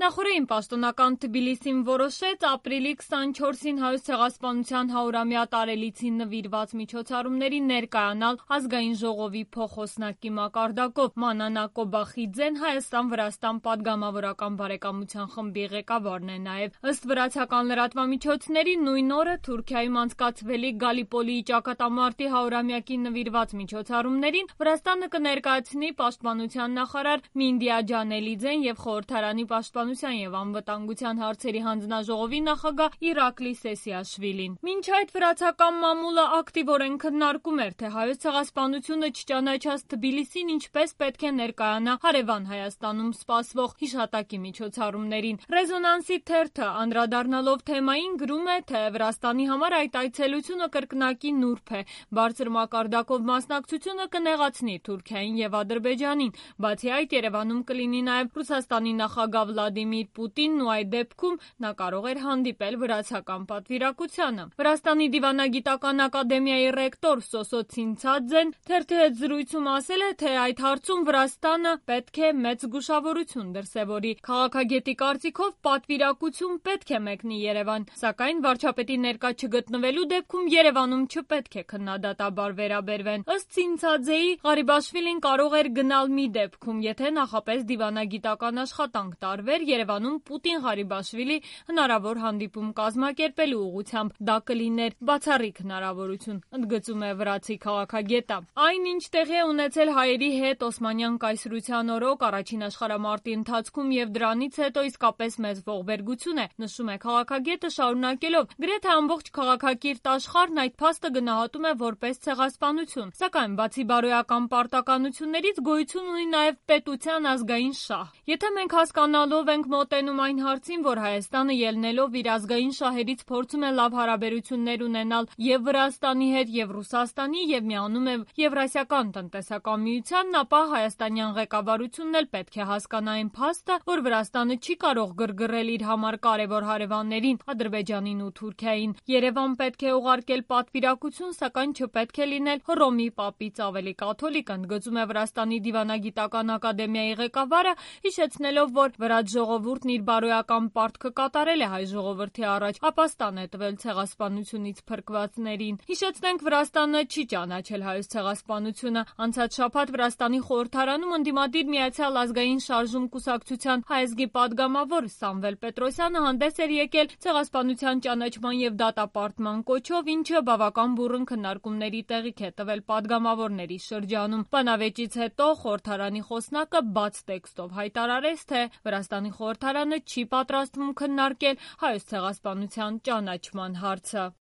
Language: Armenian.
Նախորդին պաշտոնական Թբիլիսին որոշեց ապրիլի 24-ին Հայոց ցեղասպանության 100-ամյա տարելիցին նվիրված միջոցառումների ներկայանալ Ազգային ժողովի փոխոսնակի մակարդակով։ Մանանա Կոբախիձեն Հայաստան-Վրաստան պատգամավորական բարեկամության խմբի ղեկավարն է նաև։ Ըստ վրացական լրատվամիջոցների նույն օրը Թուրքիայում անցկացվելիք Գալիպոլիի ճակատամարտի 100-ամյակին նվիրված միջոցառումներին Վրաստանը կներկայացնի պաշտպանության նախարար Մինդիա Ջանելիձեն և խորհրդարանի պաշտպանության և անվտանգության հարցերի հանձնաժողովի նախագահ Իրակլի Սեսիաշվիլին։ Մինչ այդ վրացական մամուլը ակտիվորեն քննարկում էր, թե Հայոց ցեղասպանությունը չճանաչած Թբիլիսին ինչպես պետք է ներկայանա հարևան Հայաստանում սպասվող հիշատակի միջոցառումներին։ Ռեզոնանսի թերթը անդրադառնալով թեմային գրում է, թե Վրաստանի համար այդ այցելությունը կրկնակի նուրբ է։ Բարձր մակարդակով մասնակցությունը կնեղացնի Թուրքիային և Ադրբեջանին։ Բացի այդ, Երևանում կլինի նաև Ռուսաստանի նախագահ Վլադիմիր Պուտինն ու այդ դեպքում նա կարող էր հանդիպել վրացական պատվիրակությանը։ Վրաստանի դիվանագիտական ակադեմիայի ռեկտոր Սոսո Ցինցադզեն թերթի հետ զրույցում ասել է, թե այդ հարցում Վրաստանը պետք է մեծ զգուշավորություն դրսևորի։ Քաղաքագետի կարծիքով պատվիրակություն պետք է մեկնի Երևան, սակայն վարչապետի ներկա չգտնվելու դեպքում Երևանում չպետք է քննադատաբար վերաբերվեն։ Ըստ Ցինցադզեի, Ղարիբաշվիլին կարող էր գնալ մի դեպքում, եթե նախապես դիվանագիտական աշխատանք տարվեր Երևանում Պուտին-Ղարիբաշվիլի հնարավոր հանդիպում կազմակերպելու ուղղությամբ։ Դա կլիներ բացառիկ հնարավորություն, ընդգծում է վրացի քաղաքագետը։ Այն, ինչ տեղի է ունեցել հայերի հետ Օսմանյան կայսրության օրոք առաջին աշխարհամարտի ընթացքում և դրանից հետո իսկապես մեծ ողբերգություն է, նշում է քաղաքագետը շարունակելով. գրեթե ամբողջ քաղաքակիրթ աշխարհն այդ փաստը գնահատում է որպես ցեղասպանություն։ Սակայն բացի բարոյական պարտականություններից գոյություն ունի նաև պետության ազգային շահ։ Եթե մենք հասկանալով ենք մոտենում այն հարցին, որ Հայաստանը ելնելով իր ազգային շահերից փորձում է լավ հարաբերություններ ունենալ և Վրաստանի հետ, և Ռուսաստանի, և միանում է Եվրասիական տնտեսական միությանն, ապա հայաստանյան ղեկավարությունն էլ պետք է հասկանա այն փաստը, որ Վրաստանը չի կարող գրգռել իր համար կարևոր հարևաններին Ադրբեջանին ու Թուրքիային։ Երևան պետք է ուղարկել պատվիրակություն, սակայն չպետք է լինել Հռոմի պապից ավելի կաթոլիկ, ընդգծում է Վրաստանի դիվանագիտական ակադեմիայի ղեկավարը, հիշեցնելով, որ վրաց ժողովուրդն իր բարոյական պարտքը կատարել է հայ ժողովրդի առաջ, ապաստան է տվել ցեղասպանությունից փրկվածներին։ Հիշեցնենք, Վրաստանը չի ճանաչել հայոց ցեղասպանությունը։ Անցած շաբաթ Վրաստանի խորհրդարանում ընդդիմադիր Միացյալ ազգային շարժում կուսակցության հայազգի պատգամավոր Սամվել Պետրոսյանը հանդես էր եկել ցեղասպանության ճանաչման և դատապարտման կոչով, ինչը բավական բուռն քննարկումների տեղիք է տվել պատգամավորների շրջանում։ Բանավեճից հետո խորհրդարանի խոսնակը բաց տեքստով հայտարարեց, թե Վրաստանի խորհրդարանը չի պատրաստվում քննարկել հայոց ցեղասպանության ճանաչման հարցը։